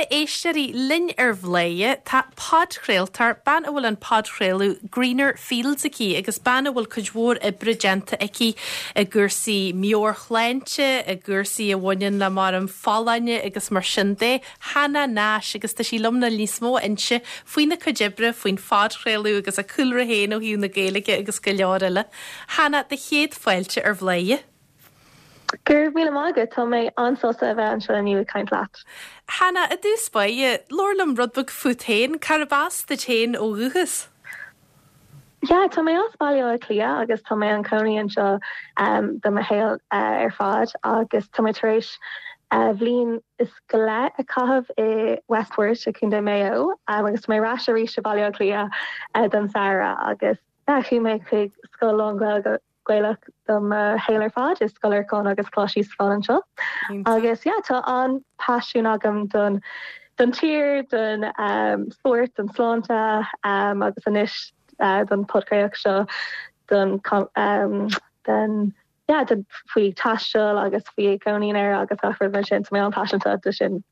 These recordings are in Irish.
a éisteoirí, linn ar Bhladhaire tá podchraoltóir, bean a bhfuil an podchraoladh Greener Fields aici agus bean a bhfuil cuid mhór oibre déanta aici i gcúrsaí meabhairshláinte, i gcúrsaí a bhaineann le mar folláine agus mar sin de, Hannah Nash, agus tá sí liom le níos mó a inse faoina cuid oibre, faoin phodchraoladh agus a cúlra féin ó thaobh na Gaeilge agus go leor eile. Hannah, do chéad fáilte ar Bhladhaire. Go raibh míle maith agat, tá mé an-sásta a bheith anseo inniu ag caint leat. Hannah, i dtús báire, labhair liom rud beag fút féin, cárb as duit féin ó dhúchas? Yeah, tá mé as Baile Átha Cliath agus tá mé im chónaí anseo do mo shaol ar fad agus tá mé tar éis bhliain is go leith a chaitheamh i Westport i Contae Maigh Eo agus tá mé ar ais arís i Baile Átha Cliath don samhradh agus yeah, chuaigh mé chuig scoil lán-Ghaeilge Gaelach do mo shaol ar fad, i Scoil Lorcáin agus Coláiste Íosafáin anseo. Agus yeah, tá an-phaisiún agam don don tír, don spórt, don sláinte agus anois don podchraoladh seo don don yeah, don faoi taisteal agus faoi cónaí in Éire agus gach rud mar sin, tá mé an-paiseanta de sin.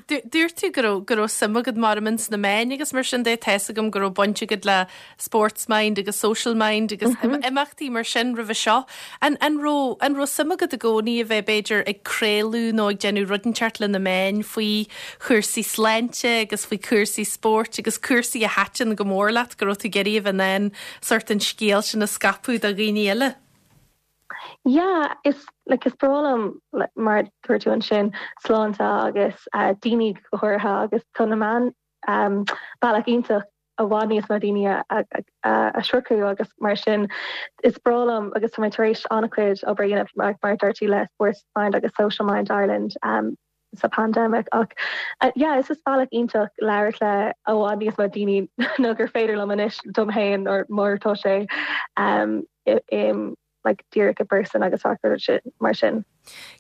Dúirt tú go raibh go raibh suim agat mar ins na meáin agus mar sin de, tá fhios agam go raibh baint agat le Sports Mind agus Social Mind agus imeachtaí mar sin roimhe seo. An an raibh an raibh suim agat i gcónaí a bheith b'fhéidir ag craoladh nó ag déanamh rud inteacht le na meáin faoi chúrsaí sláinte agus faoi chúrsaí spóirt agus cúrsaí a thaitin go mór leat go raibh tú ag iarraidh a bheith in ann sórt an scéal sin a scaipeadh do dhaoine eile? Yeah, is like is breá liom like mar dúirt tú ansin sláinte agus daoine go háirithe agus tá na meáin bealach iontach i bhfad níos mó daoine a a shroicheadh agus mar sin is breá liom agus tá mé tar éis an-chuid obair a dhéanamh mar mar dúirt tú le Sports Mind agus Social Mind Ireland sa pandemic ach yeah is is bealach iontach labhairt le i bhfad níos mó daoine ná gur féidir liom anois dom féin nó mar tá sé like díreach i bpearsan agus mar sin.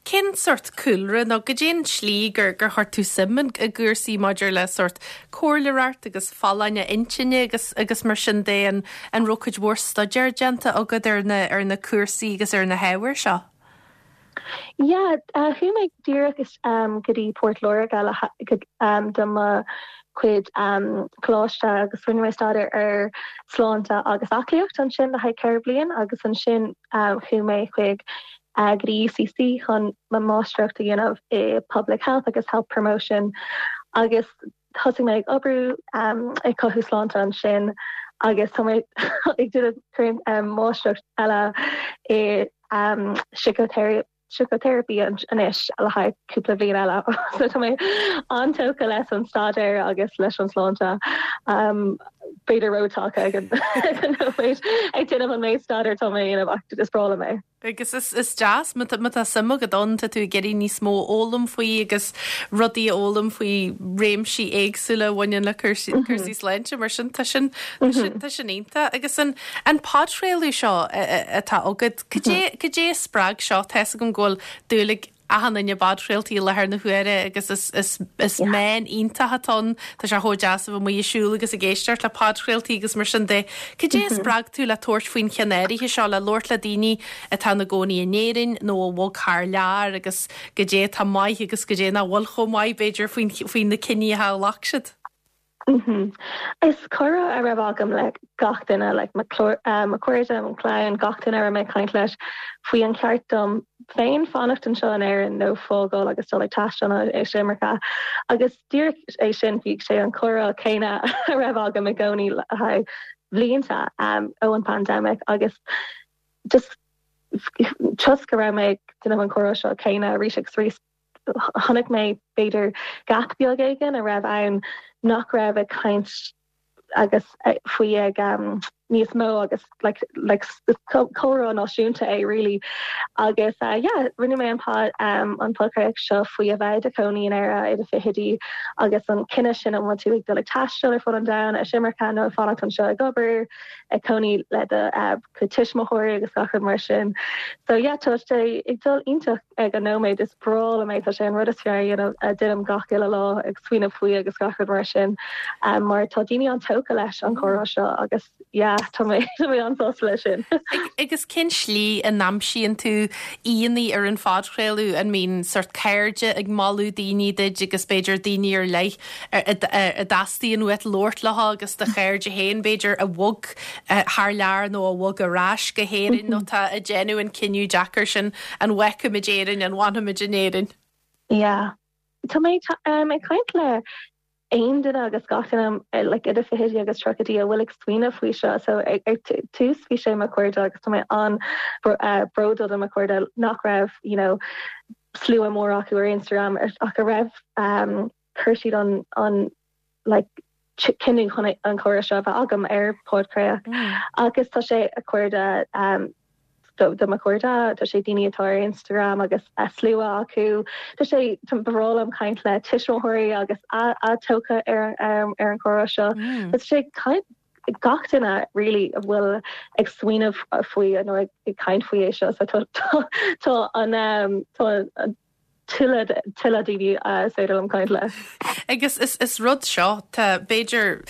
Cén sórt cúlra nó goidé an tslí gur gur chuir tú suim i gcúrsaí maidir le sórt comhairleoireacht agus folláine intinne agus agus mar sin de an an raibh cuid mhór staidéir déanta agat ar na ar na cúrsaí agus ar na hábhair seo? Yeah, chuaigh mé díreach go dtí Port Láirge le do mo chuid coláiste agus rinne mé staidéar ar sláinte agus aclaíocht ansin le haghaidh 4 bliain agus ansin chuaigh mé chuig go dtí UCC chun mo mháistreacht a dhéanamh i Public Health agus Health Promotion agus thosaigh mé ag oibriú ag cothú sláinte ansin agus tá mé ag déanamh máistreacht eile i síciteiripe anois le haghaidh cúpla bliain eile. So tá mé an-tógtha leis an staidéar agus leis an sláinte. B'fhéidir rótógtha ag an nóiméad ag déanamh an méid staidéir atá mé a dhéanamh ach is breá liom é. Agus is is deas má tá má tá suim agat ann, tá tú ag iarraidh níos mó a fhoghlaim faoi agus rudaí a fhoghlaim faoi réimsí éagsúla a bhaineann le cúrsaí cúrsaí sláinte mar sin tá sin tá sin tá sin iontach. Agus an an podchraoladh seo atá agat, cad é cad é a spreag seo? Tá fhios agam go bhfuil dúil ag achan duine i bpodchraoltaí i láthair na huaire agus is is is meán iontach atá ann. Tá sé chomh deas a bheith amuigh ag siúl agus ag éisteacht le podchraoltaí agus mar sin de. Cad é a spreag tú le tabhairt faoin cheann áirithe seo, le labhairt le daoine atá ina gcónaí in Éirinn nó a bhog thar lear agus cad é atá maith agus cad é nach bhfuil chomh maith, b'fhéidir, faoin faoi na cinní atá a ghlac siad? Is comhrá a raibh agam le gach duine, like mo chairde, mo chlann, gach duine a raibh mé ag caint leis faoi an cheart dom féin fanacht anseo in Éirinn nó fágáil agus dul ag taisteal nó ar imirce. Agus díreach é sin, bhí sé an comhrá céanna a raibh agam i gcónaí le haghaidh bhlianta ó an pandemic agus just toisc go raibh mé ag déanamh an comhrá seo céanna arís agus arís, chonaic mé b'fhéidir gap beag éigin a raibh ann nach raibh ag caint agus faoi ag níos mó agus like like comhrá náisiúnta é really agus yeah rinne mé an pod an podchraoladh seo faoi a bheith i do chónaí in Éire i do fichidí agus an cinneadh sin an bhfuil tú ag dul ag taisteal ar fud an domhain ar imirce nó ag fanacht anseo ag obair ag cónaí le do chuid tuismitheoirí agus gach rud mar sin. So yeah tá sé ag dul iontach ag an nóiméad is breá liom é tá sé an rud is fearr a dhéanamh a déanaim gach uile lá ag smaoineamh faoi agus gach rud mar sin mar tá daoine an-tógtha leis an chomhrá seo agus yeah. tá mé tá mé an-sásta leis sin. Agus cén slí a n-aimsíonn tú aíonna ar an phodchraoladh? An mbíonn sort cairde ag moladh daoine duit agus b'fhéidir daoine ar leith a dteastaíonn uait labhairt leo agus do chairde féin b'fhéidir a bhog thar lear nó a bhog ar ais go hÉirinn nó tá ag déanamh an cinneadh deacair sin an bhfágfaimid Éirinn, an bhfanfaimid in Éirinn? Yeah. Tá mé ag caint le aon duine agus gach duine like idir fichidí agus tríochaidí a bhfuil ag smaoineamh faoi seo. So ar tús bhí sé mo chairde agus tá mé an-bhródúil de mo chairde nach raibh you know slua mór acu ar Instagram ach a raibh um, chuir siad an an like cinneadh chun an comhrá seo a bheith agam ar podchraoladh mm. agus tá sé a cairde um, do mo chairde, tá sé daoine atá ar Instagram agus a slua acu. Tá sé ba bhreá liom caint le tuismitheoirí agus a tógtha ar ar an chomhrá seo. Mm. Tá sé caint gach duine really a bhfuil ag smaoineamh faoi nó ag caint faoi é seo so tá an um, tá an tuilleadh tuilleadh daoine is féidir liom caint le. Agus is is rud seo, tá b'fhéidir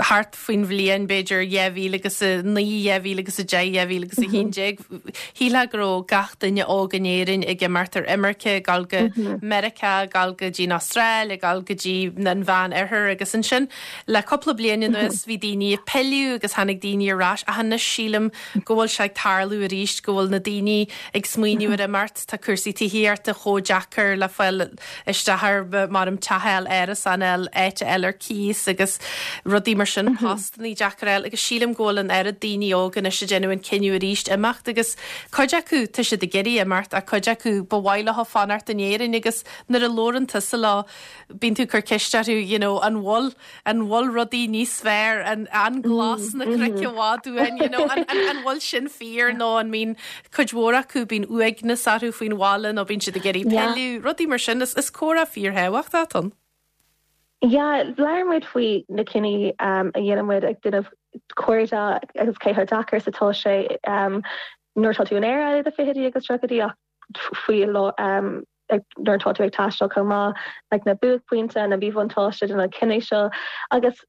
thart faoin bhliain b'fhéidir 2009, 2010, 2011, shílfeá go raibh gach duine óg in Éirinn ag imeacht ar imirce, ag dul go Meiriceá, ag dul go dtí an Astráil, ag dul go dtí an Mheán Oirthear agus ansin le cúpla bliain anuas bhí daoine ag pilleadh agus tháinig daoine ar ais ach anois sílim go bhfuil sé ag tarlú arís go bhfuil na daoine ag smaoineamh ar imeacht. Tá cúrsaí tithíochta chomh deacair le fáil isteach ar maram teach a fháil, árasán a fháil, áit a fháil ar cíos agus rudaí mar sin, postannaí deacair a fháil agus sílim go bhfuil an oiread daoine óga anois ag déanamh an cinneadh arís imeacht agus cuid acu tá siad ag iarraidh imeacht ach cuid acu ba mhaith leo fanacht in Éirinn agus nuair a labhrann tusa leo bíonn tú ag cur ceist orthu you know an bhfuil An bhfuil rudaí níos fearr, an an glas na cnoic i bhfad uainn, you know, an an an bhfuil sin fíor nó an mbíonn cuid mhór acu, bíonn uaigneas orthu faoin bhaile nó bíonn siad ag iarraidh pilleadh, rudaí mar sin. Is is comhrá fíorthábhachtach atá ann. Yeah, labhair muid faoi na cinní a dhéanann muid ag déanamh cairde agus cé chomh deacair is atá sé nuair atá tú in Éire i do fichidí agus tríochaidí ach faoi nuair atá tú ag taisteal chomh maith, like na buaicphointe, na míbhuntáiste de na cinní seo agus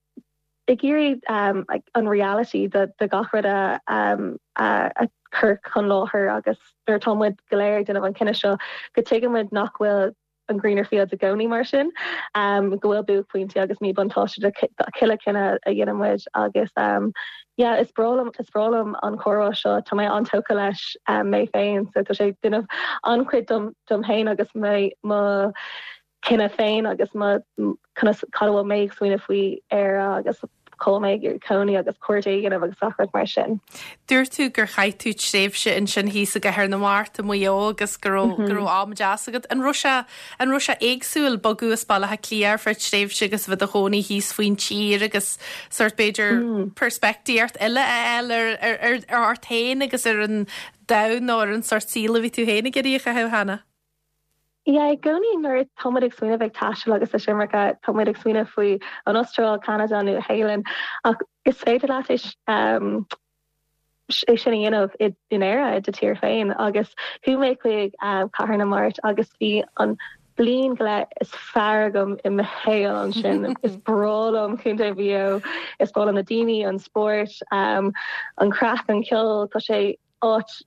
ag iarraidh like an reality de de gach rud a a chur chun láthair agus nuair atá muid go léir ag déanamh an cinneadh seo go dtuigeann muid nach bhfuil an greener fields i gcónaí mar sin, go bhfuil buaicphointí agus míbhuntáiste de chuile chinneadh a dhéanann muid agus yeah is breá liom is breá liom an comhrá seo, tá mé an-tógtha leis mé féin so tá sé ag déanamh an-chuid dom dom féin agus mé mo chinneadh féin agus mo conas cad a bhfuil mé ag smaoineamh faoi Éire agus cá bhfuil mé ag iarraidh cónaí agus cairde a dhéanamh agus gach rud mar sin. Dúirt tú gur chaith tú tréimhse ansin thíos i gCathair na Mart i Maigh Eo agus go raibh go raibh am deas agat. An raibh sé an raibh sé éagsúil bogadh as Baile Átha Cliath ar feadh tréimhse agus a bheith i do chónaí thíos faoin tír agus sórt b'fhéidir peirspictíocht eile a fháil ar ar ar ar ort féin agus ar an domhan nó ar an sórt saoil a bhí tú féin ag iarraidh a chaitheamh, Hannah? Yeah, i gcónaí nuair atá muid ag smaoineamh ag taisteal agus ag imirce, tá muid ag smaoineamh faoi an Astráil, Ceanada, Nua Shéalainn, ach is féidir leat é é sin a dhéanamh in Éire, i do tír féin. Agus chuaigh mé chuig Cathair na Mart agus bhí an bliain go leith is fearr agam i mo shaol ansin. Is breá liom Contae Mhaigh Eo, is breá liom na daoine, an spórt, an craic, an ceol, tá sé áit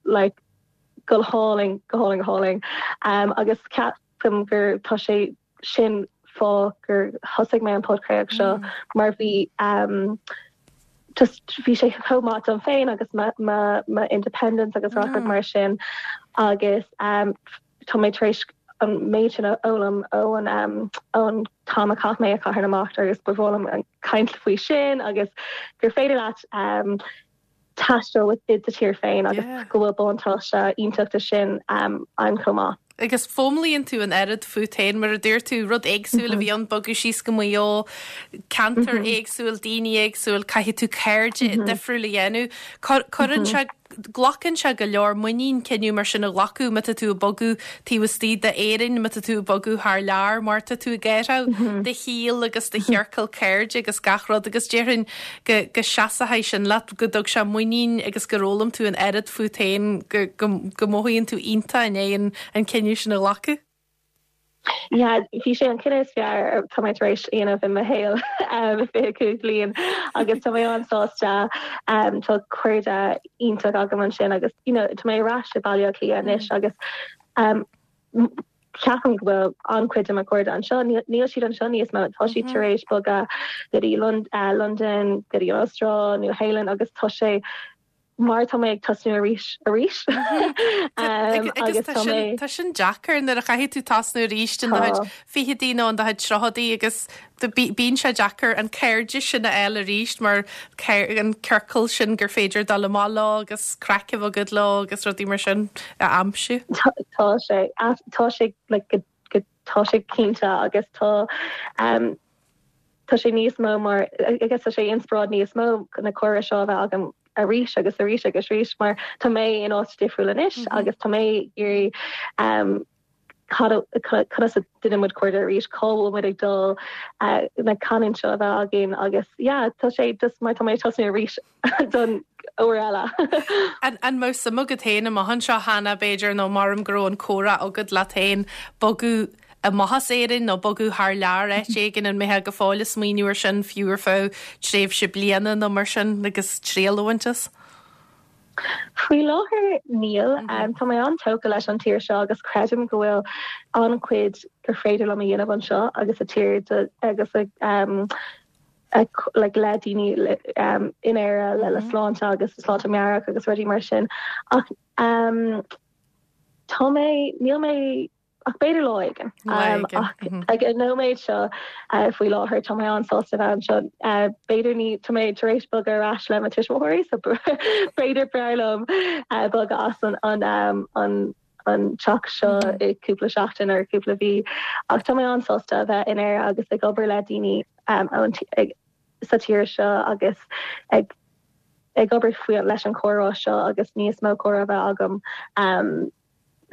like go hálainn, go hálainn, go hálainn. Agus ceapaim gur tá sé sin fáth gur thosaigh mé an podchraoladh seo mar bhí just bhí sé chomh maith dom féin agus mo mo mo independence agus gach rud mar sin agus tá mé tar éis an méid sin a fhoghlaim ón ón t-am a chaith mé i Cathair na Mart agus ba bhreá liom caint faoi sin agus gur féidir leat taisteal i do tír féin agus go bhfuil buntáiste iontach de sin ann chomh maith. Agus foghlaimíonn tú an oiread fút féin, mar a dúirt tú, rud éagsúil a bhí ann, bogadh síos go Maigh Eo, ceantar éagsúil, daoine éagsúil, caithfidh tú cairde difriúil a dhéanamh. Cuireann sé Glacann sé go leor muinín cinneadh mar sin a ghlacadh má tá tú ag bogadh taobh istigh d'Éirinn, má tá tú ag bogadh thar lear, mar tá tú ag athrú do shaol agus do chiorcal cairde agus gach rud agus déarfainn go go seasfaidh sin leat, go dtug sé muinín agus gur fhoghlaim tú an oiread fút féin go go go mothaíonn tú iontach i ndiaidh an an cinneadh sin a ghlacadh. Yeah, bhí sé an cinneadh is fearr tá mé tar éis a dhéanamh i mo shaol 25 bliain agus tá mé an-sásta. Tá cairde iontach agam ansin agus you know, tá mé ar ais i Baile Átha Cliath anois agus ceapaim go bhfuil an-chuid de mo chairde anseo, níl siad anseo níos mó, tá siad tar éis bogadh go dtí Londain, go dtí an Astráil, Nua Shéalainn agus tá sé mar tá mé ag tosnú arís arís. Agus tá mé. Tá sin deacair nuair a chaithfidh tú tosnú arís in do chuid fichidí nó in do chuid tríochaidí agus bíonn sé deacair an cairde sin a fháil arís mar an ciorcal sin gur féidir dul amach leo agus craic a bheith agat leo agus rudaí mar sin a aimsiú. Tá sé, tá sé like go tá sé cinnte agus tá Tá sé níos mó mar, I guess tá sé inspioráid níos mó na comhrá seo a bheith agam arís agus arís agus arís mar tá mé in áit difriúil anois agus tá mé ag iarraidh conas a déanann muid cairde arís, cá bhfuil muid ag dul, na canúint seo a bheith againn agus yeah tá sé just mar tá mé ag tosnú arís don uair eile. An mbeadh suim agat féin amach anseo Hannah b'fhéidir nó maram go raibh an comhrá agat leat féin bogadh amach as Éirinn nó bogadh thar lear áit éigin, an mbeifeá go fóill ag smaoineamh ar sin fiú ar feadh tréimhse bliana nó mar sin agus triail a bhaint as? Faoi láthair níl. Tá mé an-tógtha leis an tír seo agus creidim go bhfuil an-chuid gur féidir liom a dhéanamh anseo agus sa tír agus like le daoine in Éire le le sláinte agus sláinte meabhrach agus rudaí mar sin ach tá mé níl mé ach b'fhéidir lá éigin ach ag an nóiméad seo faoi láthair tá mé an-sásta bheith anseo b'fhéidir ní tá mé tar éis bogadh ar ais le mo tuismitheoirí so b'fhéidir b'fhearr liom bogadh as an an an an teach seo i cúpla seachtain ar cúpla mhí ach tá mé an-sásta a bheith in Éire agus ag obair le daoine sa tír seo agus ag ag obair faoi leis an chomhrá seo agus níos mó comhrá a bheith agam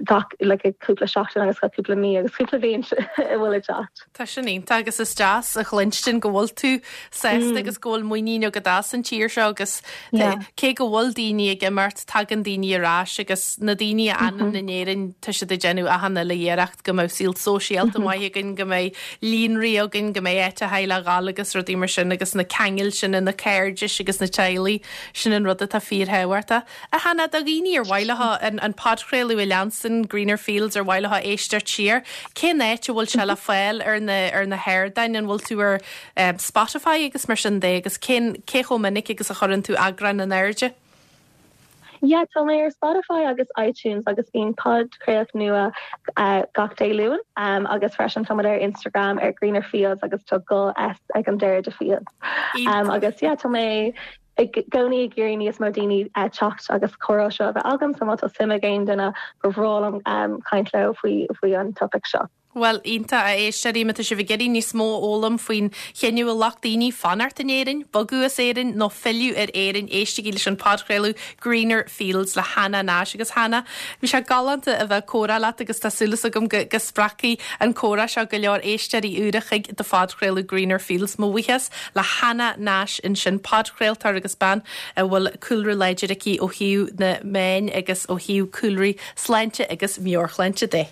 gach like cúpla seachtain agus gach cúpla mí agus cúpla bliain a bhfuil ag teacht. Tá sin iontach agus is deas a chluinstin go bhfuil tú sásta agus go bhfuil muinín agat as an tír seo agus cé go bhfuil daoine ag imeacht, tagann daoine ar ais agus na daoine a fhanann in Éirinn tá siad ag déanamh achan uile iarracht go mbeadh saol sóisialta maith againn, go mbeidh líonraí againn, go mbeidh áit a theaghlach a ghabháil agus rudaí mar sin agus na ceangail sin, na cairdis agus na teaghlaigh, sin an rud atá fíorthábhachtach. A Hannah, do dhaoine ar mhaith leo an podchraoladh a leanstan, Greener Fields, ar mhaith leo éisteacht siar, cén áit a bhfuil sé le fáil ar na ar na hardáin? An bhfuil tú ar Spotify agus mar sin de agus cén cé chomh minic agus a chuireann tú eagrán in airde? Yeah, tá mé ar Spotify agus iTunes agus bíonn podchraoladh nua gach Dé Luain agus freisin tá muid ar Instagram ar Greener Fields agus tá dhá S ag an deireadh de Fields. Agus yeah, tá mé i gcónaí ag iarraidh níos mó daoine teacht agus comhrá seo a bheith agam so má tá suim ag aon duine ba bhreá liom caint leo faoi faoi an topaic seo. Bhuel, iontach, a éisteoirí, má tá sibh ag iarraidh níos mó a fhoghlaim faoin chinneadh a ghlac daoine fanacht in Éirinn, bogadh as Éirinn nó filleadh ar Éirinn, éistigí leis an podchraoladh Greener Fields le Hannah Nash. Agus Hannah, bhí sé galánta a bheith ag comhrá leat agus tá súil agam go go spreagfaidh an comhrá seo go leor éisteoirí úra chuig do phodchraoladh Greener Fields. Mo bhuíochas le Hannah Nash ansin, podchraoltóir agus bean a bhfuil cúlra láidir aici ó thaobh na meáin agus ó thaobh cúlraí sláinte agus meabhairshláinte de.